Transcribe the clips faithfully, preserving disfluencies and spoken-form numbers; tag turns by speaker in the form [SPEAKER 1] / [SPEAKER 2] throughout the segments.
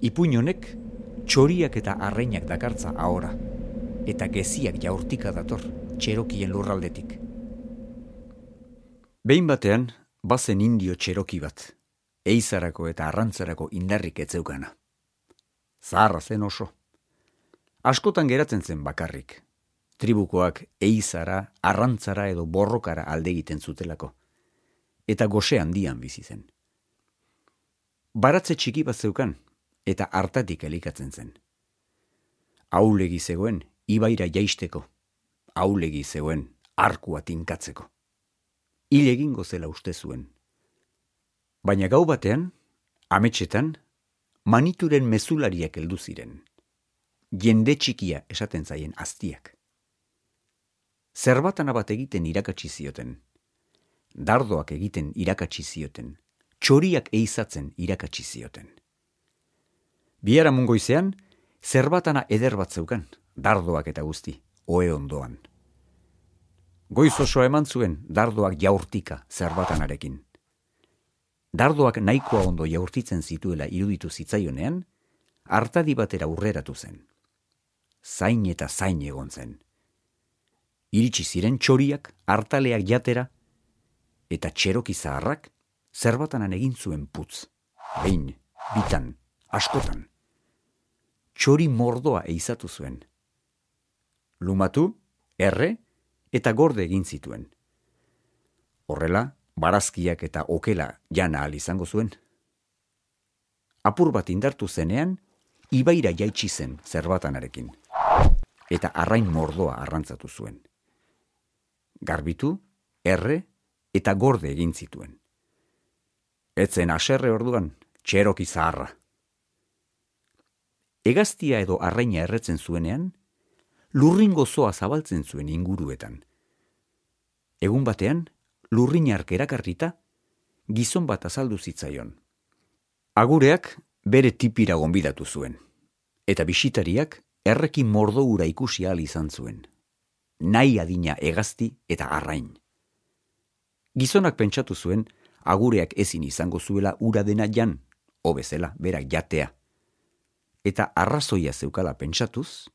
[SPEAKER 1] Ipuin honek txoriak eta arrainak dakartza ahora, eta geziak jaurtika dator Txerokien lurraldetik. Behin batean, bazen indio Txeroki bat, eizarako eta arrantzarako indarrik etzeukana. Zaharra zen oso. Askotan geratzen zen bakarrik. Tribukoak eizara, arrantzara edo borrokara alde egiten zutelako. Eta gose handian bizi zen. Baratze txiki bat zeukan, eta hartatik elikatzen zen. Aulegi zegoen, ibaira jaisteko. Aulegi zegoen, arkua tinkatzeko. Hil egingo zela uste zuen. Baina gau batean, ametsetan, manituren mezulariak heldu ziren. Jende txikia esaten zaien aztiak. Zerbatana bat egiten irakatsi zioten. Dardoak egiten irakatsi zioten. Txoriak eizatzen irakatsi zioten. Biharamun goizean, zerbatana eder bat zeukan, dardoak eta guzti, ohe ondoan. Goiz osoa eman zuen dardoak jaurtika zerbatanarekin. Dardoak nahikoa ondo jaurtitzen zituela iruditu zitzaionean, hartadi batera urreratu zen. Zain eta zain egon zen. Iritsi ziren txoriak, hartaleak jatera, eta Txeroki zaharrak zerbatanan egin zuen putz. Behin, bitan, askotan. Txori mordoa eizatu zuen. Lumatu, erre, eta gorde egin zituen. Horrela, barazkiak eta okela jana ahal izango zuen. Apur bat indartu zenean, ibaira jaitsi zen zerbatanarekin, eta arrain mordoa arrantzatu zuen. Garbitu, erre, eta gorde egin zituen. Etzen haserre orduan, Txeroki zaharra. Hegaztia edo arraina erretzen zuenean, lurrin gozoa zabaltzen zuen inguruetan. Egun batean, lurrinark erakarrita, gizon bat azaldu zitzaion. Agureak bere tipira gonbidatu zuen, eta bisitariak errekin mordoura ikusi ahal izan zuen. Nahi adina hegazti eta arrain. Gizonak pentsatu zuen, agureak ezin izango zuela ura dena jan, hobezela, berak jatea. Eta arrazoia zeukala pentsatuz,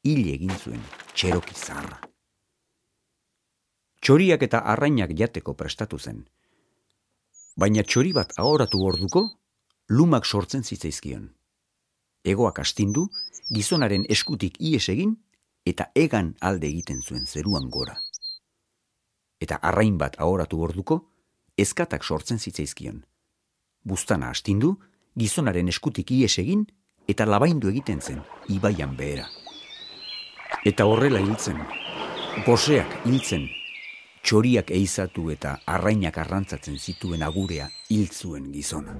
[SPEAKER 1] hil egin zuen Txeroki zaharra. Txoriak eta arrainak jateko prestatu zen. Baina txori bat ahoratu orduko, lumak sortzen zitzaizkion. Egoak astindu, gizonaren eskutik ihes egin, eta egan alde egiten zuen zeruan gora. Eta arrain bat ahoratu orduko, ezkatak sortzen zitzaizkion. Buztana astindu, gizonaren eskutik ihes egin, eta labaindu egiten zen, ibaian behera. Eta horrela hiltzen, goseak hiltzen, txoriak eizatu eta arrainak arrantzatzen zituen agurea hil zuen gizona.